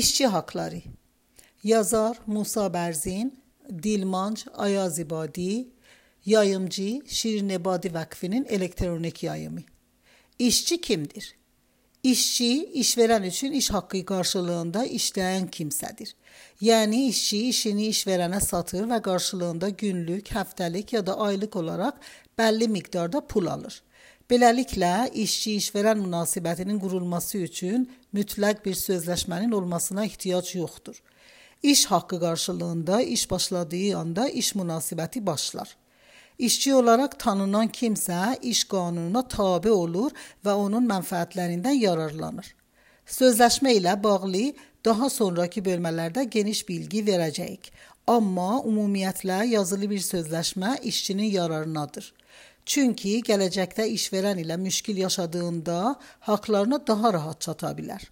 İşçi hakları. Yazar Musa Berzin, Dilmanc Ayazibadi, yayımcı Şirin Ebadi Vakfı'nın elektronik yayımı. İşçi kimdir? İşçi, işveren üçün iş haqqı qarşılığında işləyən kimsədir. Yəni işçi işini işverənə satır və qarşılığında günlük, həftəlik ya da aylıq olaraq bəlli miqdarda pul alır. Beləliklə, işçi-işverən münasibətinin qurulması üçün mütləq bir sözləşmənin olmasına ehtiyac yoxdur. İş haqqı qarşılığında iş başladığı anda iş münasibəti başlar. İşçi olarak tanınan kimsə iş qanununa tabe olur və onun mənfəətlərindən yararlanır. Sözləşmə ilə bağlı daha sonraki bölmələrdə geniş bilgi verəcəyik. Amma ümumiyyətlə yazılı bir sözləşmə işçinin yararınadır. Çünki gələcəkdə işverən ilə müşkil yaşadığında haqlarına daha rahat çata bilər.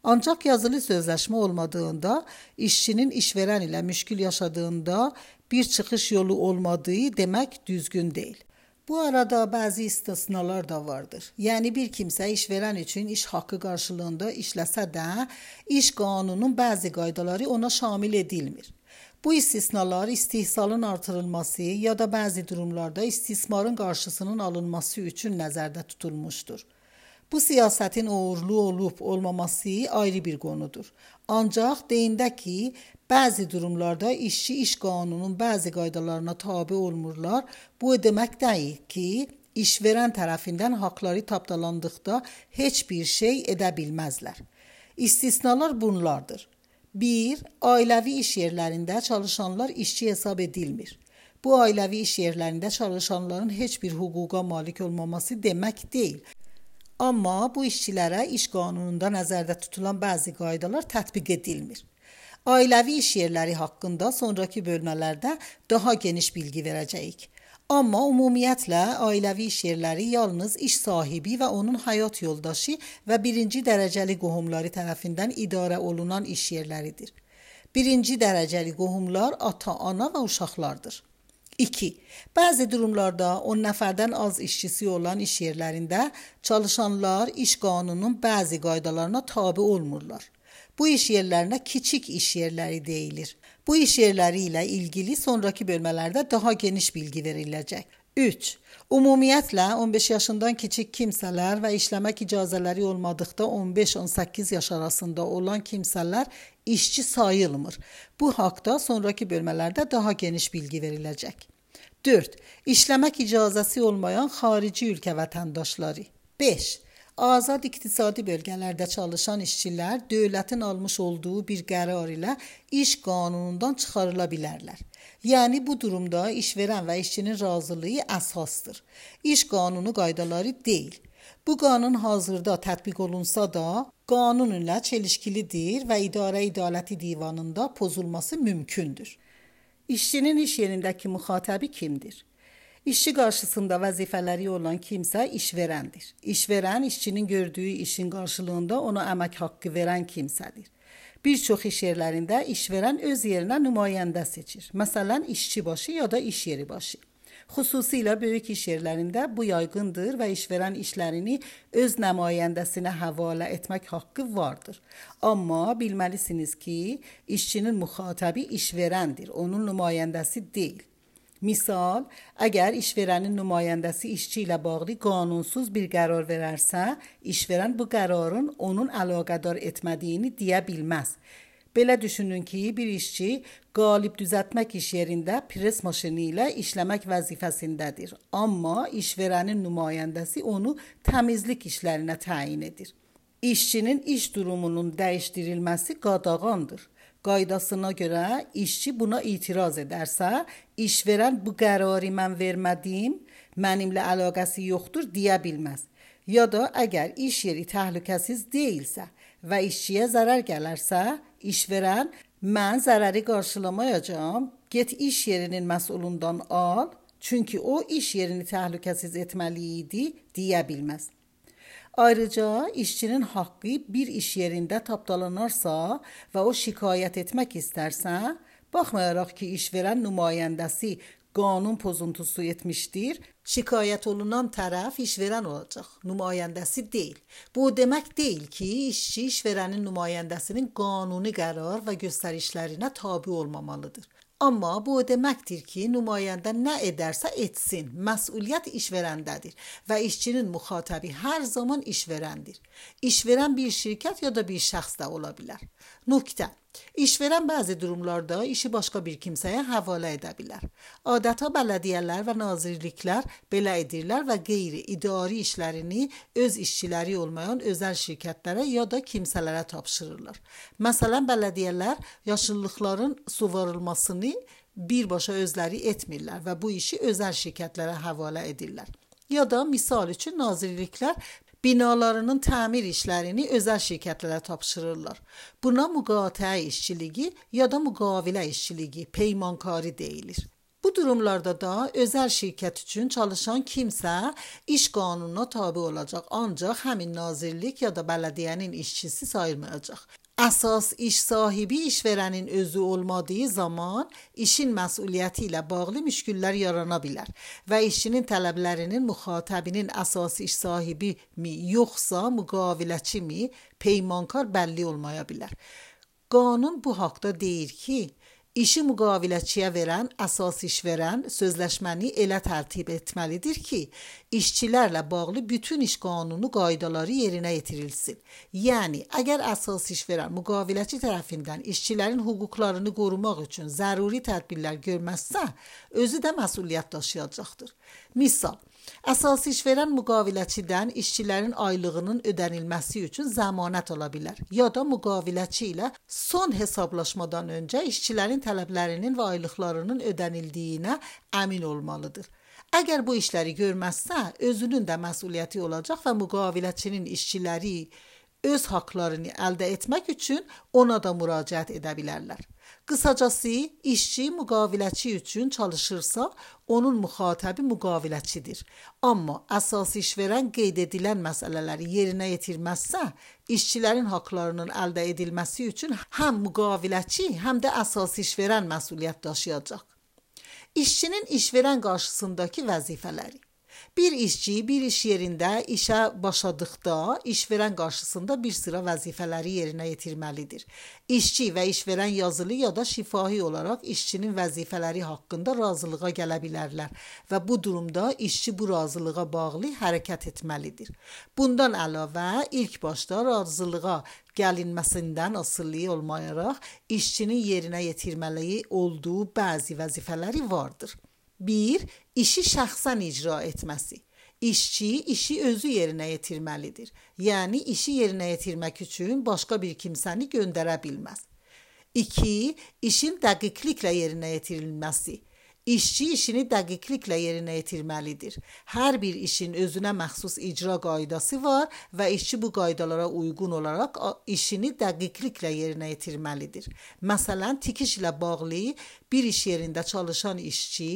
Ancaq yazılı sözləşmə olmadığında, işçinin işverən ilə müşkil yaşadığında bir çıxış yolu olmadığı demək düzgün deyil. Bu arada bəzi istisnalar da vardır. Yəni bir kimsə işverən üçün iş haqqı qarşılığında işləsə də, iş qanununun bəzi qaydaları ona şamil edilmir. Bu istisnalar istehsalın artırılması ya da bəzi durumlarda istismarın qarşısının alınması üçün nəzərdə tutulmuşdur. Bu siyasetin uğurlu olup olmaması ayrı bir konudur. Ancaq deyində ki, bəzi durumlarda işçi iş qanununun bəzi qaydalarına tabe olmurlar. Bu demək deyil ki, işverən tərəfindən haqları tapdalandıqda heç bir şey edə bilməzlər. İstisnalar bunlardır. 1. Ailəvi iş yerlərində çalışanlar işçi hesab edilmir. Bu ailəvi iş yerlərində çalışanların heç bir hüquqa malik olmaması demək deyil. Amma bu işçilərə iş qanununda nəzərdə tutulan bəzi qaydalar tətbiq edilmir. Ailəvi iş yerləri haqqında sonraki bölmələrdə daha geniş bilgi verəcəyik. Amma ümumiyyətlə ailəvi iş yerləri yalnız iş sahibi və onun həyat yoldaşı və birinci dərəcəli qohumları tərəfindən idarə olunan iş yerləridir. Birinci dərəcəli qohumlar ata, ana və uşaqlardır. 2. Bəzi durumlarda 10 nəfərdən az işçisi olan iş yerlərində çalışanlar iş qanununun bəzi qaydalarına tabe olmurlar. Bu iş yerlərinə kiçik iş yerləri deyilir. Bu iş yerləri ilə ilgili sonraki bölmələrdə daha geniş bilgi veriləcək. 3. Ümumiyyətlə 15 yaşından kiçik kimsələr və işləmək icazələri olmadıqda 15-18 yaş arasında olan kimsələr işçi sayılmır. Bu haqda sonraki bölmələrdə daha geniş bilgi veriləcək. 4. İşləmək icazəsi olmayan xarici ölkə vətəndaşları. 5. Azad iqtisadi bölgələrdə çalışan işçilər dövlətin almış olduğu bir qərar ilə iş qanunundan çıxarıla bilərlər. Yəni bu durumda işverən və işçinin razılığı əsasdır. İş qanunu qaydaları deyil. Bu qanun hazırda tətbiq olunsa da qanun ilə çelişkilidir və İdarə İdaləti Divanında pozulması mümkündür. İşçinin iş yerindəki müxatəbi kimdir? İşçi qarşısında vəzifələri olan kimsə işverəndir. İşverən işçinin gördüyü işin qarşılığında ona əmək haqqı verən kimsədir. Bir çox iş yerlərində işverən öz yerinə nümayəndə seçir. Məsələn, işçi başı ya da iş yeri başı. Xüsusilə böyük iş yerlərində bu yaygındır və işverən işlərini öz nümayəndəsinə həvalə etmək haqqı vardır. Amma bilməlisiniz ki, işçinin müxatəbi işverəndir, onun nümayəndəsi deyil. Misal, əgər işverənin nümayəndəsi işçi ilə bağlı qanunsuz bir qərar verərsə, işverən bu qərarın onun əlaqədar etmədiyini deyə bilməz. Belə düşünün ki, bir işçi qalib düzəltmək iş yerində pres maşını ilə işləmək vəzifəsindədir. Amma işverənin nümayəndəsi onu təmizlik işlərinə təyin edir. İşçinin iş durumunun dəyişdirilməsi qadağandır. Qaydasına görə işçi buna itiraz edərsə, işverən bu qərarı mən vermədim, mənimlə əlaqəsi yoxdur deyə bilməz. Ya da əgər iş yeri təhlükəsiz deyilsə və işçiyə zərər gələrsə, işverən mən zərəri qarşılamayacağam, get iş yerinin məsulundan al, çünki o iş yerini təhlükəsiz etməli idi deyə bilməz. Ayrıca işçinin haqqı bir iş yerində tapdalanarsa və o şikayət etmək istərsə, baxmayaraq ki, işverən nümayəndəsi qanun pozuntusu etmişdir, şikayət olunan tərəf işverən olacaq, nümayəndəsi deyil. Bu demək deyil ki, işçi işverənin nümayəndəsinin qanuni qərar və göstərişlərinə tabe olmamalıdır. Amma bu o deməkdir ki, nümayəndə nə edərsə etsin, məsuliyyət işverəndədir və işçinin müxatəbi hər zaman işverəndir. İşverən bir şirkət ya da bir şəxs də ola bilər. Nöqtə. İşverən bəzi durumlarda işi başqa bir kimsəyə həvalə edə bilər. Adətən bələdiyyələr və nazirliklər belə edirlər və qeyri-idari işlərini öz işçiləri olmayan özəl şirkətlərə ya da kimsələrə tapşırırlar. Məsələn, bələdiyyələr yaşıllıqların suvarılmasını birbaşa özləri etmirlər və bu işi özəl şirkətlərə həvalə edirlər. Ya da misal üçün nazirliklər binalarının təmir işlərini özəl şirkətlərə tapşırırlar. Buna müqateə işçiliyi ya da müqavilə işçiliyi, peymankarı deyilir. Bu durumlarda da özəl şirkət üçün çalışan kimsə iş qanununa tabe olacaq, ancaq həmin nazirlik ya da bələdiyyənin işçisi sayılmayacaq. Əsas iş sahibi işverənin özü olmadığı zaman işin məsuliyyəti ilə bağlı müşküllər yarana bilər və işçinin tələblərinin müxatəbinin əsas iş sahibi mi yoxsa müqaviləçi mi peymankar bəlli olmaya bilər. Qanun bu haqda deyir ki, İşi müqaviləçiyə verən əsas işverən sözləşməni elə tərtib etməlidir ki, işçilərlə bağlı bütün iş qanunu qaydaları yerinə yetirilsin. Yəni, əgər əsas işverən müqaviləçi tərəfindən işçilərin hüquqlarını qorumaq üçün zəruri tədbirlər görməzsə, özü də məsuliyyət daşıyacaqdır. Misal, əsas işverən müqaviləçidən işçilərin aylığının ödənilməsi üçün zəmanət ala bilər ya da müqaviləçi ilə son hesablaşmadan öncə işçilərin tələblərinin və aylıqlarının ödənildiyinə əmin olmalıdır. Əgər bu işləri görməzsə, özünün də məsuliyyəti olacaq və müqaviləçinin işçiləri öz haqlarını əldə etmək üçün ona da müraciət edə bilərlər. Qısacası, işçi müqaviləçi üçün çalışırsa, onun müxatəbi müqaviləçidir. Amma əsas işverən qeyd edilən məsələləri yerinə yetirməzsə, işçilərin haqlarının əldə edilməsi üçün həm müqaviləçi, həm də əsas işverən məsuliyyət daşıyacaq. İşçinin işverən qarşısındakı vəzifələri. Bir işçi bir iş yerində işə başladıqda işverən qarşısında bir sıra vəzifələri yerinə yetirməlidir. İşçi və işverən yazılı ya da şifahi olaraq işçinin vəzifələri haqqında razılığa gələ bilərlər və bu durumda işçi bu razılığa bağlı hərəkət etməlidir. Bundan əlavə ilk başda razılığa gəlinməsindən asılı olmayaraq işçinin yerinə yetirməli olduğu bəzi vəzifələri vardır. 1. İşi şəxsən icra etməsi. İşçi işi özü yerinə yetirməlidir. Yəni işi yerinə yetirmək üçün başqa bir kimsəni göndərə bilməz. 2. İşin dəqiqliklə yerinə yetirilməsi. İşçi işini dəqiqliklə yerinə yetirməlidir. Hər bir işin özünə məxsus icra qaydası var və işçi bu qaydalara uyğun olaraq işini dəqiqliklə yerinə yetirməlidir. Məsələn, tikiş ilə bağlı bir iş yerində çalışan işçi,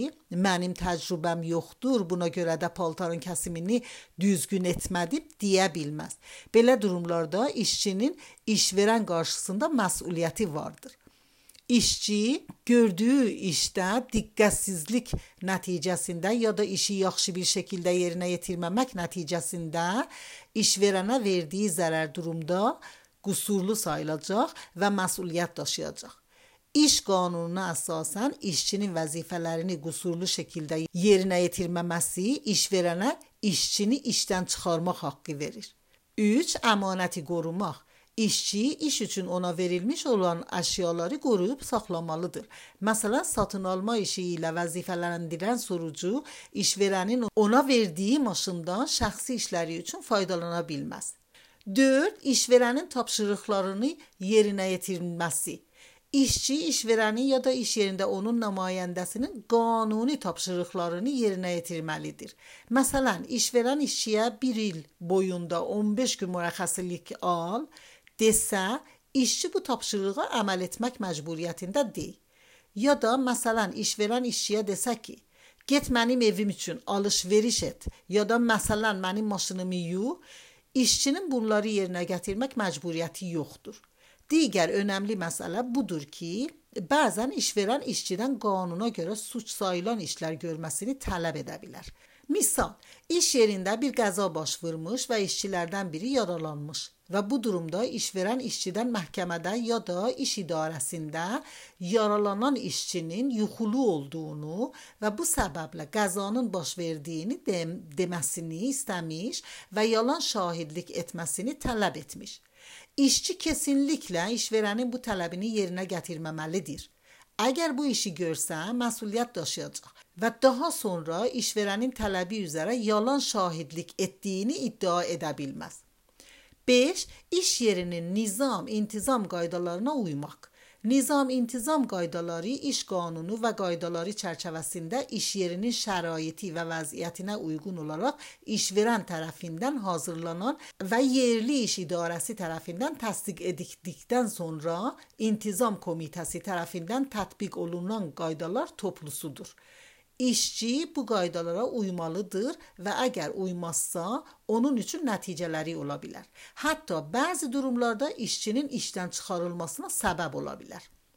mənim təcrübəm yoxdur, buna görə də paltarın kəsimini düzgün etmədim deyə bilməz. Belə durumlarda işçinin işverən qarşısında məsuliyyəti vardır. İşçi gördüyü işdə diqqətsizlik nəticəsində ya da işi yaxşı bir şəkildə yerinə yetirməmək nəticəsində işverənə verdiyi zərər durumda qüsurlu sayılacaq və məsuliyyət daşıyacaq. İş qanununa əsasən işçinin vəzifələrini qüsurlu şəkildə yerinə yetirməməsi işverənə işçini işdən çıxarmaq haqqı verir. 3. Əmanəti qorumaq. İşçi iş üçün ona verilmiş olan əşyaları qoruyub saxlamalıdır. Məsələn, satın alma işi ilə vəzifələndirən sorucu işverənin ona verdiyi maşından şəxsi işləri üçün faydalana bilməz. 4. İşverənin tapşırıqlarını yerinə yetirilməsi. İşçi işverənin ya da iş yerində onun nümayəndəsinin qanuni tapşırıqlarını yerinə yetirməlidir. Məsələn, işverən işçiyə 1 il boyunda 15 gün mürəxxəslik al desə, işçi bu tapşırığa əməl etmək məcburiyyətində deyil. Ya da məsələn, işverən işçiyə desə ki, get mənim evim üçün alış-veriş et ya da məsələn, mənim maşınımı yu, işçinin bunları yerinə gətirmək məcburiyyəti yoxdur. Digər önəmli məsələ budur ki, Bəzən işverən işçidən qanuna görə suç sayılan işlər görməsini tələb edə bilər. Misal, iş yerində bir qəza baş vermiş və işçilərdən biri yaralanmış və bu durumda işverən işçidən məhkəmədə ya da iş idarəsində yaralanan işçinin yuxulu olduğunu və bu səbəblə qəzanın baş verdiyini deməsini istəmiş və yalan şahidlik etməsini tələb etmiş. İşçi kesinliklə işverənin bu tələbini yerinə gətirməməlidir. Əgər bu işi görsə, məsuliyyət daşıyacaq və daha sonra işverənin tələbi üzrə yalan şahidlik etdiyini iddia edə bilməz. 5. İş yerinin nizam-intizam qaydalarına uymaq. Nizam-intizam qaydaları iş qanunu və qaydaları çərçivəsində iş yerinin şəraiti və vəziyyətinə uyğun olaraq işverən tərəfindən hazırlanan və yerli iş idarəsi tərəfindən təsdiq edildikdən sonra intizam komitəsi tərəfindən tətbiq olunan qaydalar toplusudur. İşçi bu qaydalara uymalıdır və əgər uymazsa, onun üçün nəticələri ola bilər. Hətta bəzi durumlarda işçinin işdən çıxarılmasına səbəb ola bilər.